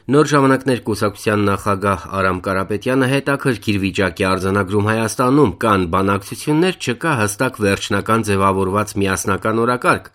Նոր ժամանակներ կուսակցության նախագահ Արամ Կարապետյանը հետաքրքիր վիճակ է արձանագրում Հայաստանում, կան բանակցություններ, չկա հստակ վերջնական ձևավորված միասնական օրակարգ։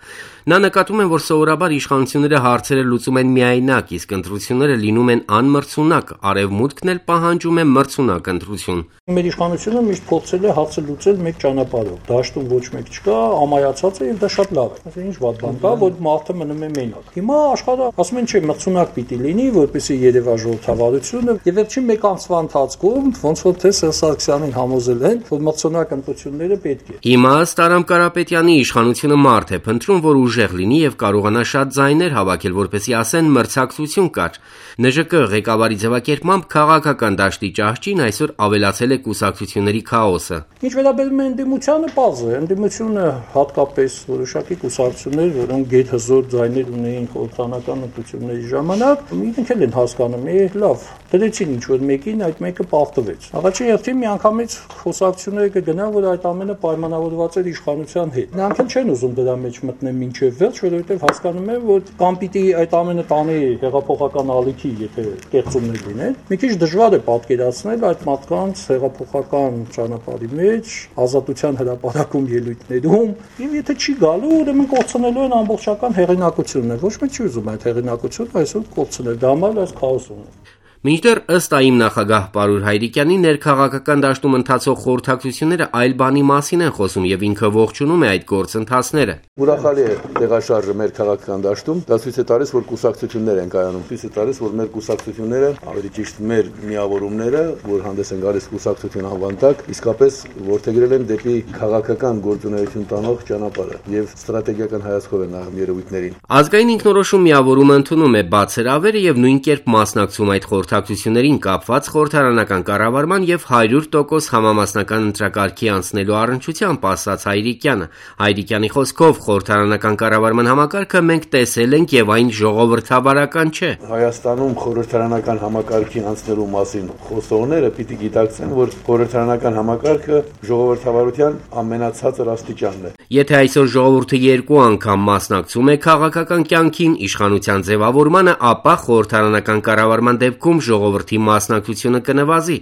Նա նկատում է, որ սովորաբար իշխանությունները հարցերը լուծում են միայնակ, իսկ ընտրությունները լինում են անմրցունակ, արևմուտքն էլ պահանջում է մրցունակ ընտրություն։ Մեր իշխանությունը միշտ փորձել է հարցը լուծել մեկ ճանապարհով։ Դաշտում ոչ մեկ չկա, ամայացած է եւ դա շատ լավ է։ Այսինքն ինչ վատ բան կա, որ մարդը մնում է մենակ։ Հիմա աշխարհը ասում են չէ, մրցունակ պիտի լինի, որպեսզի երևա ժողովրդավարությունը, եւ վերջին մեկ ամսվա ընթացքում ոնց որ թե Սարգսյանին համոզել են, որ մրցունակ ընտրությունները պետք է։ Հիմա ըստ Արամ Կարապետյանի իշխանությունը մարդ է փնտրում, որ ուժեղ լինի եւ կարողանա շատ ձայներ հավաքել, որպեսզի ասեն մրցակցություն կար։ ՆԺԿ ղեկավարի ձևակերպմամբ քաղաքական դաշտի ճահճին այսօր ավելացել է կուսակցությունների քաոսը։ Ինչ վերաբերում է ընդդիմությանը, պարզ է, ընդդիմությունը հատկապես որոշակի կուսակցություններ, որոնք գեթհզոր ձայներ ունեին խորհրդարանական ընտրությունների ժամանակ, իրենք էլ են հասկանում, լավ, դրեցին ինչ-որ մեկին, այդ մեկը պարտվեց։ Առաջին հերթին միանգամից խոսակցությունները կգնան, որ այդ ամենը պայմանավորված էր իշխանության հետ։ Նրանք էլ չեն ուզում դրա մեջ մտնել մինչև վերջ, որովհետև հասկանում են, որ կամ պիտի այդ ամենը տանի հեղափոխական ալիքի, եթե կեղծումներ լինեն։ Մի քիչ դժվար է պատկերացնել այդ մարդկանց հեղափոխական ճանապարհի մեջ, ազատության հրապարակում ելույթներում, եւ եթե չի գալու, ուրեմն կորցնելու են ամբողջական հեղինակությունը։ Ոչ մեկ չի ուզում այդ հեղինակությունը այսօր կորցնել, դա համար այս քաոսն է։ Մինչդեռ ըստ ԱԻՄ նախագահ Պարուր Հայրիկյանի ներքաղաքական դաշտում ընթացող խորհրդակցությունները այլ բանի մասին են խոսում եւ ինքը ողջունում է այդ գործընթացները։ Ուրախալի է տեղաշարժը մեր քաղաքական դաշտում, դա ցույց է տալիս, որ կուսակցություններ են կայանում, ցույց է տալիս, որ մեր կուսակցությունները, ավելի ճիշտ մեր միավորումները, որ հանդես են գալիս կուսակցություն անվան տակ, իսկապես որդեգրել են դեպի քաղաքական գործունեություն տանող ճանապարհը եւ ստրատեգիական հայացքով են նայում երևույթներին։ Ազգային ինքնորոշում միավորումը ընդունում է բացերավերը եւ նույն կերպ մասնակցում այդ խորհրդակցություններին կապված խորհրդարանական կառավարման եւ 100% համամասնական ընտրակարգի անցնելու առնչությամբ ասաց Հայրիկյանը։ Հայրիկյանի խոսքով խորհրդարանական կառավարման համակարգը մենք տեսել ենք եւ այն ժողովրդավարական չէ։ Հայաստանում խորհրդարանական համակարգին անցնելու մասին խոսողները պիտի գիտակցեն, որ խորհրդարանական համակարգը ժողովրդավարության ամենացածր աստիճանն է։ Եթե այսօր ժողովուրդը 2 անգամ մասնակցում է քաղաքական կյանքին, իշխանության ձևավորմանը, ապա խորհրդարանական կառավարման դեպքում ժողովրդի մասնակցությունը կնվազի։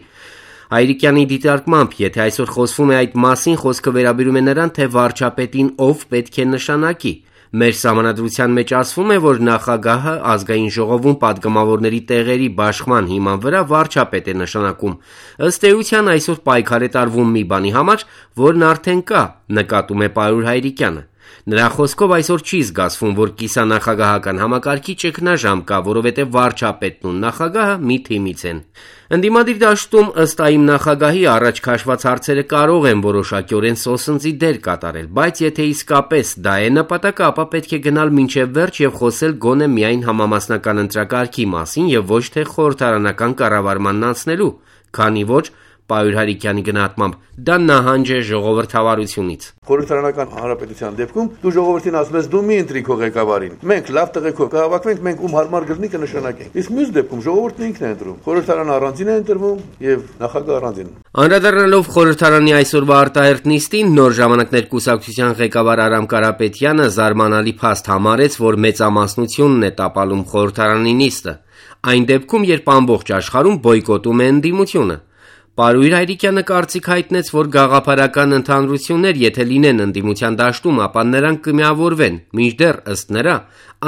Հայրիկյանի դիտարկմամբ, եթե այսօր խոսվում է այդ մասին, խոսքը վերաբերում է նրան, թե վարչապետին ով պետք է նշանակի։ Մեր սահմանադրության մեջ ասվում է, որ նախագահը ազգային ժողովում падգամավորների տեղերի բաշխման հիման վրա վարչապետ է նշանակում։ Ըստ էության այսօր պայքար է տարվում մի բանի համար, որն արդեն կա, նկատում է Պարուր Հայրիկյանը։ Նրա խոսքով այսօր չի զգացվում, որ կիսանախագահական համակարգի ճգնաժամ կա, որովհետև վարչապետն ու նախագահը մի թիմից են։ Ընդդիմադիր դաշտում ըստ ԱԻՄ նախագահի առաջ քաշված հարցերը կարող են որոշակիորեն սոսնձի դեր կատարել, բայց եթե իսկապես դա է նպատակը, ապա պետք է գնալ մինչև վերջ եւ խոսել գոնե միայն համամասնական ընտրակարգի մասին եւ ոչ թե խորհրդարանական կառավարմանն անցնելու, քանի որ Պարուր Հայրիկյանի գնահատմամբ դա նահանջ է ժողովրդավարությունից։ Խորհրդարանական հանրապետության դեպքում դու ժողովրդին ասում ես դու մի ընտրի քո ղեկավարին։ Մենք լավ տղեկով կհավաքվենք, մենք ում հարմար գտնի կնշանակենք։ Իսկ մյուս դեպքում ժողովուրդն ինքն է ընտրում։ Խորհրդարանը առանձին է ընտրվում եւ նախագահը առանձին։ Անդրադառնալով խորհրդարանի այսօրվա արտահերթ նիստին, Նոր ժամանակներ կուսակցության ղեկավար Արամ Կարապետյանը զարմանալի փաստ համարեց, որ մեծամասնությունն է տապալում խորհրդարանի նիստը։ Այն դեպքում, երբ ամբողջ աշխարհում բոյկոտում է ընդդիմությունը։ Պարուր Հայրիկյանը կարծիք հայտնեց, որ գաղափարական ընդհանրություններ, եթե լինեն ընդդիմության դաշտում, ապա նրանք կմիավորվեն, մինչդեռ ըստ նրա,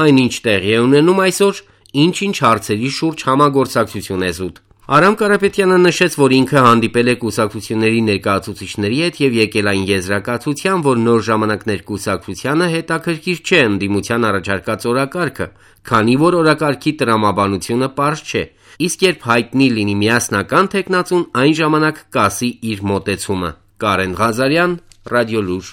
այնինչ տեղի է ունենում այսօր, ինչ-ինչ հարցերի շուրջ համագործակցություն է զուտ։ Արամ Կարապետյանը նշեց, որ ինքը հանդիպել է կուսակցությունների ներկայացուցիչների հետ եւ եկել այն եզրակացության, որ Նոր ժամանակներ կուսակցությանը հետաքրքիր չէ ընդդիմության առաջարկած օրակարգը, քանի որ օրակարգի տրամաբանությունը պարզ չէ։ Իսկ երբ հայտնի լինի միասնական թեկնածուն, այն ժամանակ կասի իր մոտեցումը։ Կարեն Ղազարյան, Ռադիոլուր։